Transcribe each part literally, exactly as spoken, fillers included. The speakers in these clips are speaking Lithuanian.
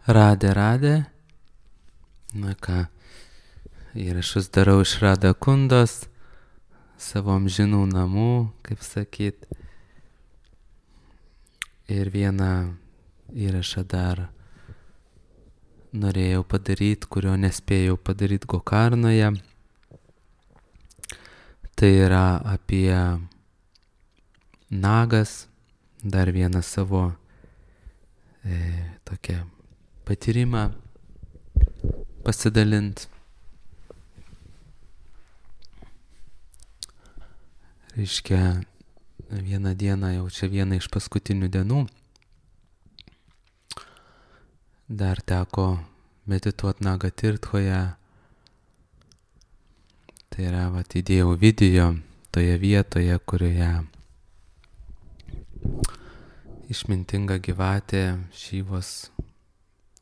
Radė, radė. Na ką, įrašus darau iš Rada Kundos, savo amžinų namų, kaip sakyt. Ir vieną įrašą dar norėjau padaryti, kurio nespėjau padaryti Gokarnoje. Tai yra apie nagas, dar vieną savo e, tokią patyrimą pasidalint. Reiškia, vieną dieną, jau čia viena iš paskutinių dienų, dar teko medituoti Nagatirthoje. Tai yra, vat, įdėjau video toje vietoje, kurioje išmintinga gyvatė Šyvos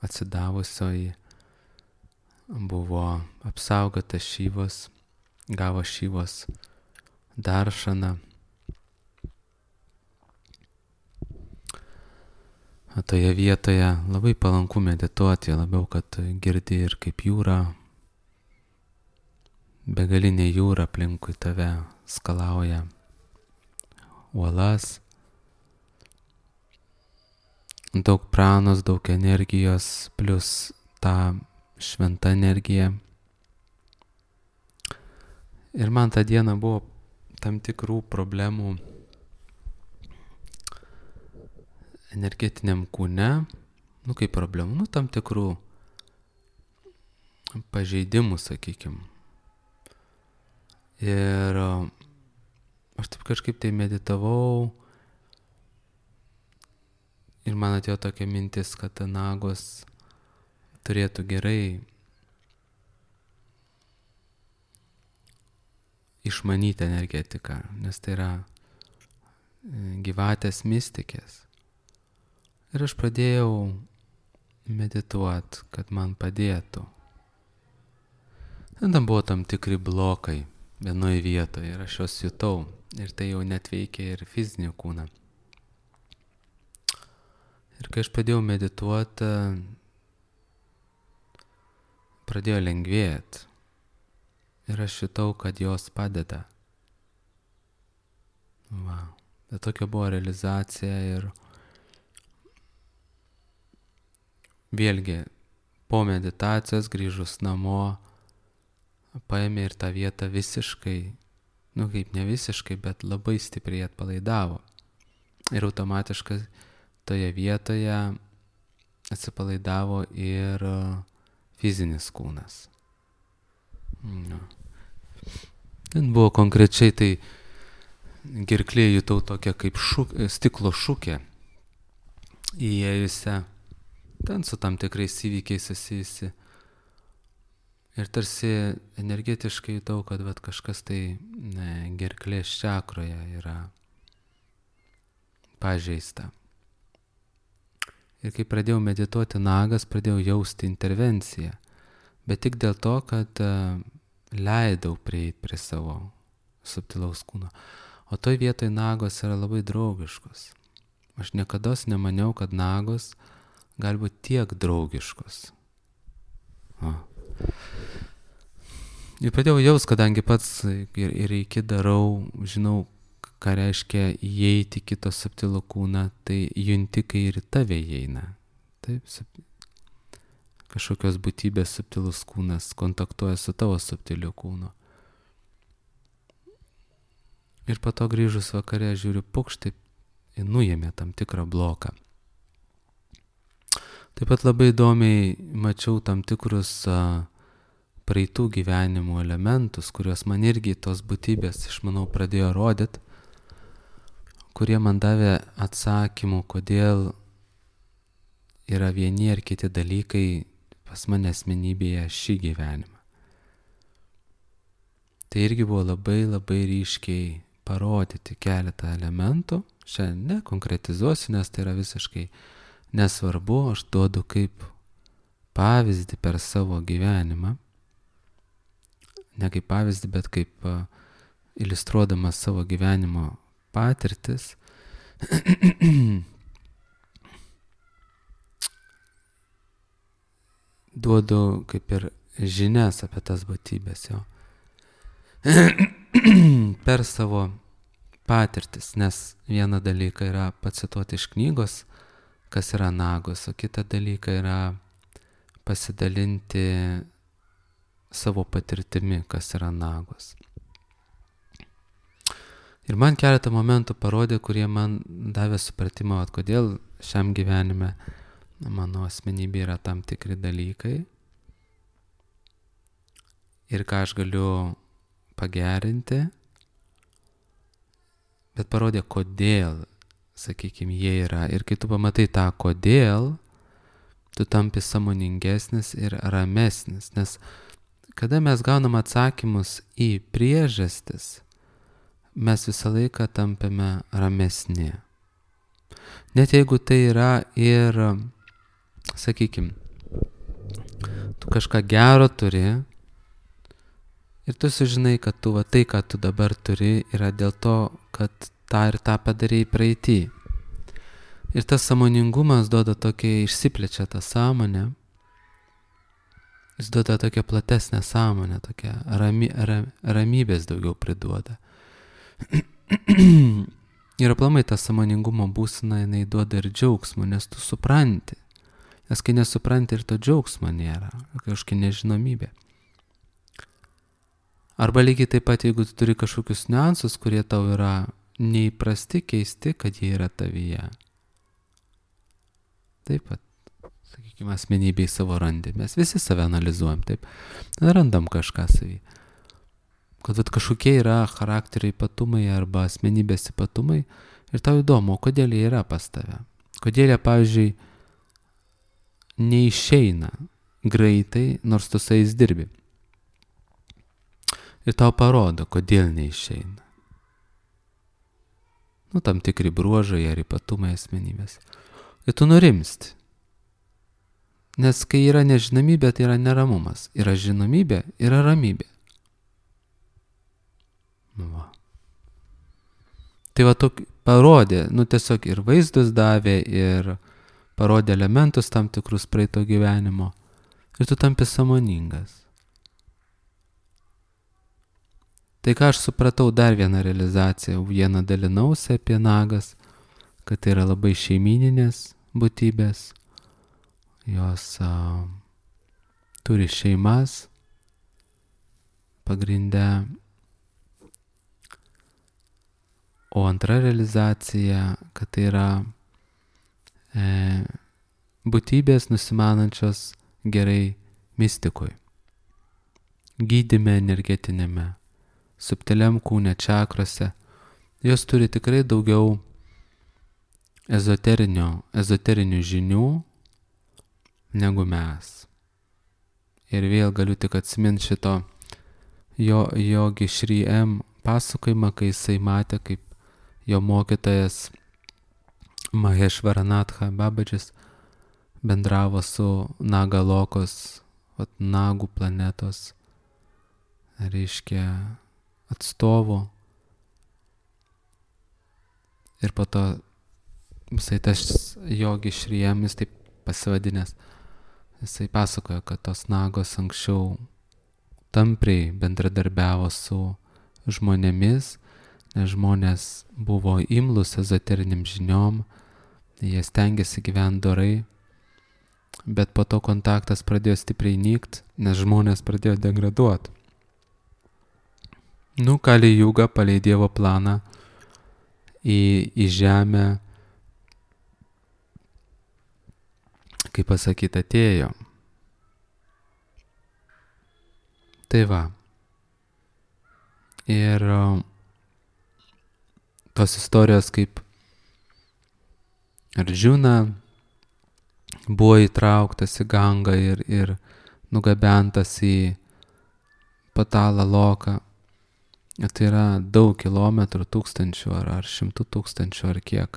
atsidavusioji buvo apsaugota Šyvos, gavo Šyvos daršaną. O toje vietoje labai palanku medituoti, labiau, kad girdi ir kaip jūra, begalinė jūra aplinkui tave skalauja uolas. Daug pranos, daug energijos, plus ta šventa energija. Ir man tą dieną buvo tam tikrų problemų energetiniam kūne. Nu, kaip problemų, nu, tam tikrų pažeidimų, sakykim. Ir aš taip kažkaip tai meditavau. Ir man atėjo tokia mintis, kad nagos turėtų gerai išmanyti energetiką, nes tai yra gyvatės mistikės. Ir aš pradėjau medituoti, kad man padėtų. Tada buvo tam tikri blokai vienoje vietoje ir aš juos jutau. Ir tai jau net veikia ir fizinį kūną. Ir kai aš pradėjau medituoti, pradėjo lengvėti. Ir aš jutau, kad jos padeda. Va. Tai tokia buvo realizacija ir vėlgi po meditacijos grįžus namo paėmė ir tą vietą visiškai, nu kaip ne visiškai, bet labai stipriai atpalaidavo. Ir automatiškai toje vietoje atsipalaidavo ir fizinis kūnas. No. Ten buvo konkrečiai tai gerklėje jutau tokią kaip šuk, stiklo šukę įėjusią, ten su tam tikrais įvykiais susijusi. Ir tarsi energetiškai jutau, kad vat, kažkas tai ne, gerklės čakroje yra pažeista. Ir kai pradėjau medituoti nagas, pradėjau jausti intervenciją. Bet tik dėl to, kad uh, leidau prieiti prie savo subtilaus kūno. O toj vietoj nagos yra labai draugiškos. Aš niekados nemaniau, kad nagos gali būti tiek draugiškos. O. Ir pradėjau jaust, kadangi pats ir, ir iki darau, žinau, ką reiškia įeiti kito subtilų kūną, tai junti, kai ir tave įeina. Taip, kažkokios būtybės subtilus kūnas kontaktuoja su tavo subtiliu kūnu. Ir po to grįžus vakare žiūriu, pukštai, nuėmė tam tikrą bloką. Taip pat labai įdomiai mačiau tam tikrus a, praeitų gyvenimų elementus, kuriuos man irgi tos būtybės, aš manau, pradėjo rodyti, kurie man davė atsakymų, kodėl yra vieni ar kiti dalykai pas mane asmenybėje šį gyvenimą. Tai irgi buvo labai labai ryškiai parodyti keletą elementų. Šiandien nekonkretizuosiu, nes tai yra visiškai nesvarbu, aš duodu kaip pavyzdį per savo gyvenimą. Ne kaip pavyzdį, bet kaip uh, iliustruodamas savo gyvenimo patirtis. duodu kaip ir žinias apie tas būtybės jo. Per savo patirtis, nes vieną dalyką yra pacituoti iš knygos, kas yra nagos, o kitą dalyką yra pasidalinti savo patirtimi, kas yra nagos. Ir man keletą momentų parodė, kurie man davė supratimą, at kodėl šiam gyvenime mano asmenybė yra tam tikri dalykai ir ką aš galiu pagerinti, bet parodė, kodėl, sakykime, jie yra. Ir kai tu pamatai tą kodėl, tu tampi sąmoningesnis ir ramesnis, nes kada mes gaunam atsakymus į priežastis, mes visą laiką tampame ramesni. Net jeigu tai yra ir, sakykime, tu kažką gero turi ir tu sužinai, kad tu va tai, ką tu dabar turi, yra dėl to, kad tą ir tą padarėjai praeitį. Ir tas sąmoningumas duoda tokia, išsiplečia tą sąmonę, jis duoda tokią platesnę sąmonę, tokią rami, ram, ramybės daugiau priduoda. Ir aplamai ta sąmoningumo būsena, jinai duoda ir džiaugsmo, nes tu supranti. Nes kai nesupranti, ir to džiaugsmo nėra, kažkokia nežinomybė. Arba lygiai taip pat, jeigu tu turi kažkokius niuansus, kurie tau yra neįprasti, keisti, kad jie yra tavyje. Taip pat, sakykime, asmenybėj savo randi. Mes visi save analizuojam, taip. Randam kažką savy. Kad vat, kažkokie yra charakterio ypatumai arba asmenybės ypatumai ir tau įdomu, kodėl jie yra pas tave. Kodėl jie, pavyzdžiui, neišeina greitai, nors tu su jais dirbi. Ir tau parodo, kodėl neišeina. Nu, tam tikri bruožai ar ypatumai asmenybės. Ir tu nurimsti. Nes kai yra nežinomybė, tai yra neramumas. Yra žinomybė, yra ramybė. Va. Tai va tokį parodė, nu tiesiog ir vaizdus davė, ir parodė elementus tam tikrus praeito gyvenimo. Ir tu tampi sąmoningas. Tai ką aš supratau, dar vieną realizaciją, vieną dalinausi apie nagas, kad tai yra labai šeimyninės būtybės, jos a, turi šeimas, pagrindę. O antra realizacija, kad tai yra e, būtybės nusimanančios gerai mistikui, gydyme energetinėme, subtiliam kūne, čakrose. Jos turi tikrai daugiau ezoterinių žinių negu mes. Ir vėl galiu tik atsiminti šito jo, Jogi Šri M pasakojimą, kai jisai matė, kaip jo mokytojas Maheshvaranatha Babadžis bendravo su Nagalokos, vat, Nagų planetos, reiškia, atstovu. Ir po to visai tas Jogi Šri M, jis taip pasivadinęs, jisai pasakojo, kad tos Nagos anksčiau tampriai bendradarbiavo su žmonėmis, nes žmonės buvo imlus ezoteriniam žiniom, jie stengiasi gyventi dorai, bet po to kontaktas pradėjo stipriai nykt, nes žmonės pradėjo degraduoti. Nu, Kali Juga palei Dievo planą į, į žemę, kaip pasakyti, atėjo. Tai va. Ir tos istorijos, kaip Arjuna buvo įtrauktas į Gangą ir, ir nugabentas į Patalą Loką. Tai yra daug kilometrų, tūkstančių ar, ar šimtų tūkstančių ar kiek.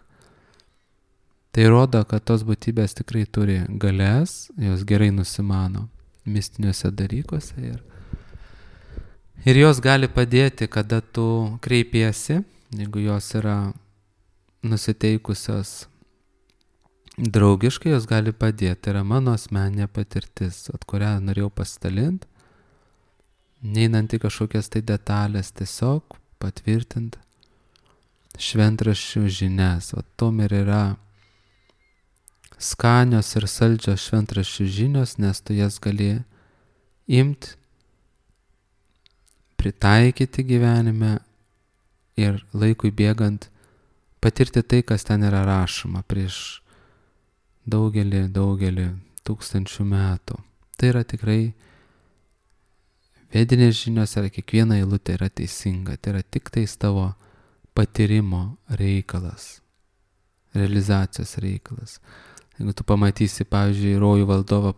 Tai rodo, kad tos būtybės tikrai turi galias, jos gerai nusimano mistiniuose dalykuose ir Ir jos gali padėti, kada tu kreipiesi, jeigu jos yra nusiteikusios draugiškai jos gali padėti. Tai yra mano asmeninė patirtis, at kurią norėjau pasidalinti, neinant į kažkokias tai detalės, tiesiog patvirtinti šventraščių žinias. O tom ir yra skanios ir saldžios šventraščių žinios, nes tu jas gali imti, pritaikyti gyvenime ir laikui bėgant patirti tai, kas ten yra rašoma prieš daugelį, daugelį tūkstančių metų. Tai yra tikrai vedinės žinios, yra kiekviena eilutė yra teisinga. Tai yra tik tais tavo patyrimo reikalas, realizacijos reikalas. Jeigu tu pamatysi, pavyzdžiui, rojų valdovą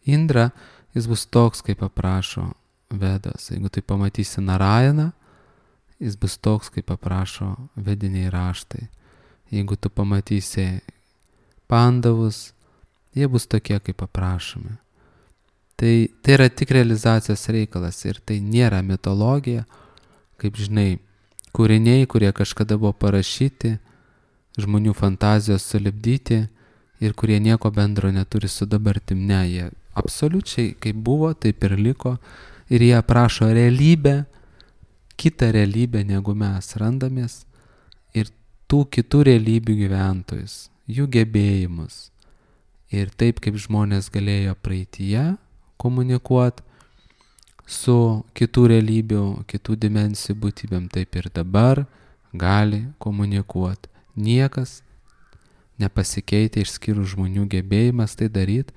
Indrą, jis bus toks, kaip aprašo Vedos. Jeigu tu pamatysi Narayaną, jis bus toks, kaip aprašo vediniai raštai. Jeigu tu pamatysi Pandavus, jie bus tokie, kaip aprašomi. Tai, tai yra tik realizacijos reikalas ir tai nėra mitologija, kaip žinai, kūriniai, kurie kažkada buvo parašyti, žmonių fantazijos sulipdyti ir kurie nieko bendro neturi su dabartim. Ne, jie absoliučiai kaip buvo, taip ir liko ir jie aprašo realybę, kitą realybę, negu mes randamės ir tų kitų realybių gyventojus, jų gebėjimus ir taip, kaip žmonės galėjo praeityje komunikuoti su kitų realybių, kitų dimensijų būtybėm, taip ir dabar gali komunikuoti. Niekas nepasikeitė išskyrus žmonių gebėjimas tai daryti,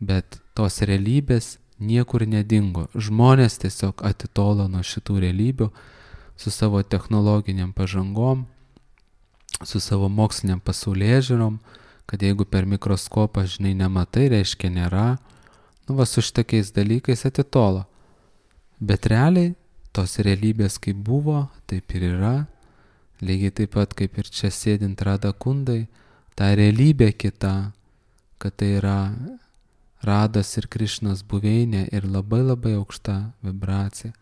bet tos realybės niekur nedingo. Žmonės tiesiog atitolo nuo šitų realybių su savo technologiniam pažangom, su savo moksliniam pasaulėžiūrom, kad jeigu per mikroskopą, žinai, nematai, reiškia nėra, nu va su šitokiais dalykais atitolo. Bet realiai tos realybės kaip buvo, taip ir yra, lygiai taip pat kaip ir čia sėdint Radha Kundai, ta realybė kita, kad tai yra Rados ir Krišnos buveinė ir labai labai aukšta vibracija.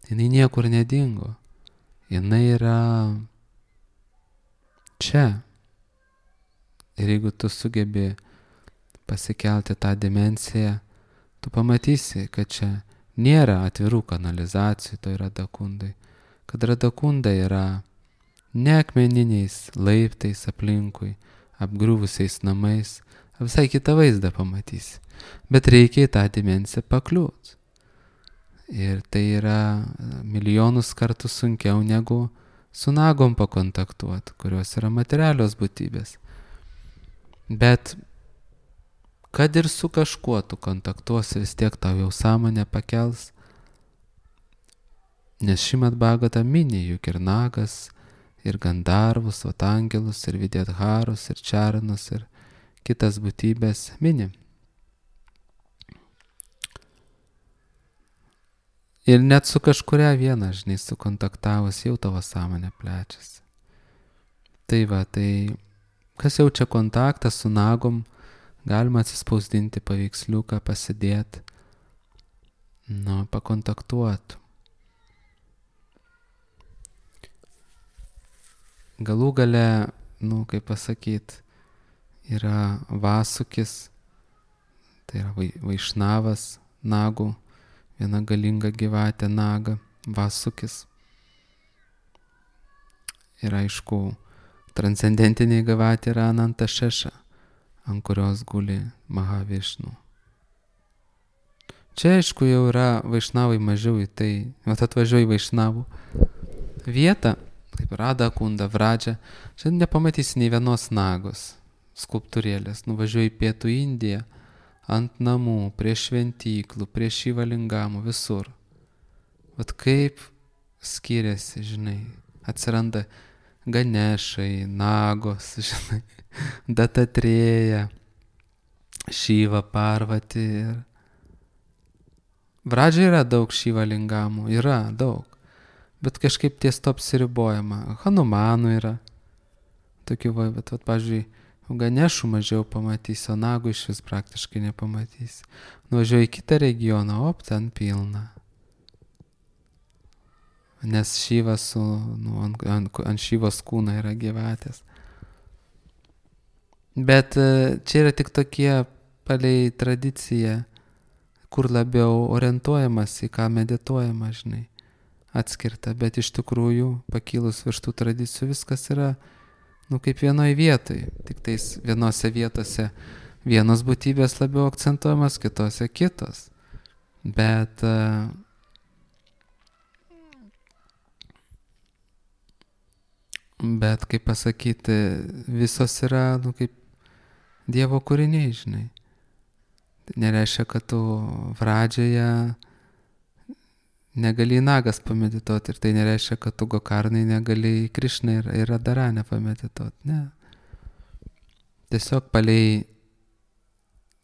Jinai niekur nedingo. Jinai yra čia. Ir jeigu tu sugebi pasikelti tą dimensiją, tu pamatysi, kad čia nėra atvirų kanalizacijų toj Radha Kundai. Kad Radha Kunda yra ne akmeniniais laiptais aplinkui, apgriuvusiais namais, visai kitą vaizdą pamatysi. Bet reikia į tą dimensiją pakliūt. Ir tai yra milijonus kartų sunkiau negu su nagom pakontaktuoti, kurios yra materialios būtybės. Bet kad ir su kažkuo tu kontaktuosi, vis tiek tau jau sąmonę pakels, nes Šrimad Bhagavatam mini juk ir nagas, ir gandarvus, vat angelus, ir videtharus, ir čaranus, ir kitas būtybės mini. Ir net su kažkuria viena, žinai, sukontaktavus, jau tavo sąmonė plečiasi. Tai va, tai kas jaučia kontaktą su nagom, galima atsispausdinti paveiksliuką, pasidėti, nu, pakontaktuoti. Galų gale, nu, kaip pasakyt, yra Vasukis, tai yra Vaišnavas nagų, viena galinga gyvatė naga, Vasukis. Ir aišku, transcendentiniai gyvatė yra Ananta Šeša, ant kurios guli Mahavišnu. Čia aišku jau yra Vaišnavai mažiau į tai, vat atvažiuoji Vaišnavų vietą, kaip Radha Kunda, Vradža, šiandien nepamatysi nei vienos nagos skulptūrėlės. Nuvažiuoji į Pietų Indiją, ant namų, prie šventyklų, prie Šivalingamų, visur. Vat kaip skiriasi, žinai, atsiranda Ganešai, nagos, žinai, Datatrėja, Šiva, Parvati. Ir Vradžia yra daug Šivalingamų, yra daug. Bet kažkaip ties to apsiribojama. Hanumanų yra. Tokių, va, bet, vat, pavyzdžiui, Ganešų mažiau pamatysi, o nagų iš vis praktiškai nepamatysi. Nuvažiuoji į kitą regioną, op, ten pilna. Nes Šyvas su, nu, ant, ant, ant Šyvos kūno yra gyvatės. Bet e, čia yra tik tokie palei tradiciją, kur labiau orientuojamas į ką medituojama, žinai, atskirta. Bet iš tikrųjų, pakilus virš tų tradicijų, viskas yra, nu, kaip vienoj vietoj. Tik tais vienose vietose vienos būtybės labiau akcentuojamas, kitose kitos. Bet uh, bet, kaip pasakyti, visos yra, nu, kaip Dievo kūriniai, žinai. Tai nereiškia, kad tu pradžioje negali į nagas pamedituoti ir tai nereiškia, kad tu gokarnai negali į Krišną ir, ir Radharanę pamedituoti. Ne. Tiesiog palei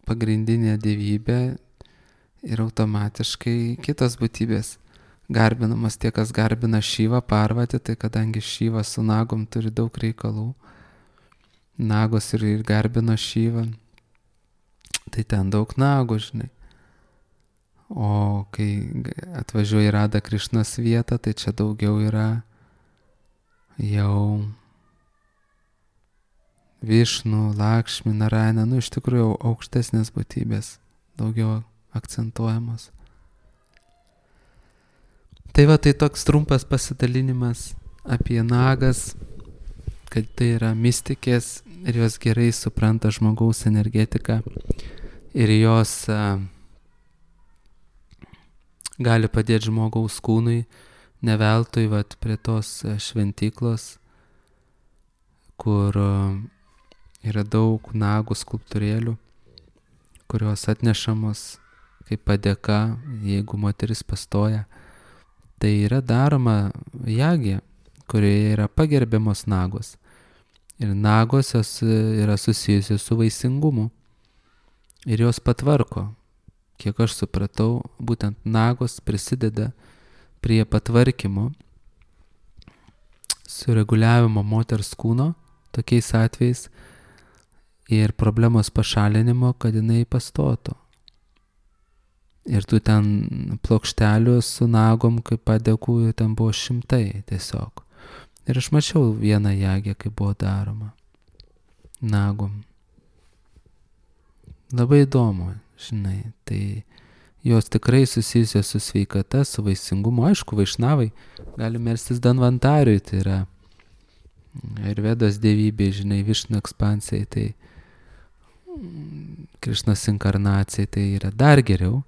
pagrindinę dievybę ir automatiškai kitos būtybės garbinamas. Tie, kas garbina Šyvą, Parvatį, tai kadangi Šyva su nagom turi daug reikalų, nagos ir, ir garbino Šyvą, tai ten daug nagų, žinai. O kai atvažiuoja į Radha Krišnos vietą, tai čia daugiau yra jau Višnu, Lakšmi, Narayana, nu iš tikrųjų aukštesnės būtybės daugiau akcentuojamos. Tai va, tai toks trumpas pasidalinimas apie nagas, kad tai yra mistikės ir jos gerai supranta žmogaus energetiką ir jos a, gali padėti žmogaus kūnui, ne veltui vat prie tos šventyklos, kur a, yra daug nagų skulptūrėlių, kurios atnešamos kaip padėka, jeigu moteris pastoja. Tai yra daroma jagė, kurioje yra pagerbiamos nagos. Ir nagos jos yra susijusios su vaisingumu. Ir jos patvarko. Kiek aš supratau, būtent nagos prisideda prie patvarkymo, sureguliavimo moters kūno, tokiais atvejais, ir problemos pašalinimo, kad jinai pastotų. Ir tų ten plokštelių su nagom, kaip padėkų, ten buvo šimtai tiesiog. Ir aš mačiau vieną jagę, kaip buvo daroma nagom. Labai įdomu, žinai, tai jos tikrai susijusios su sveikata, su vaisingumu. Aišku, vaišnavai gali melstis Danvantariui, tai yra Ayurvedos dievybė, žinai, Višnu ekspansijai, tai Krišnos inkarnacijai, tai yra dar geriau.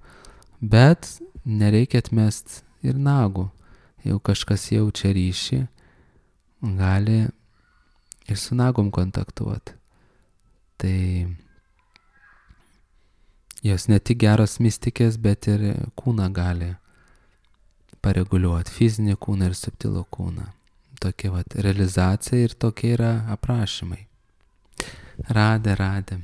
Bet nereikia atmest ir nagų. Jeigu kažkas jaučia ryšį, gali ir su nagom kontaktuoti. Tai jos ne tik geros mistikės, bet ir kūną gali pareguliuoti. Fizinį kūną ir subtilų kūną. Tokia vat realizacija ir tokie yra aprašymai. Radė, radė.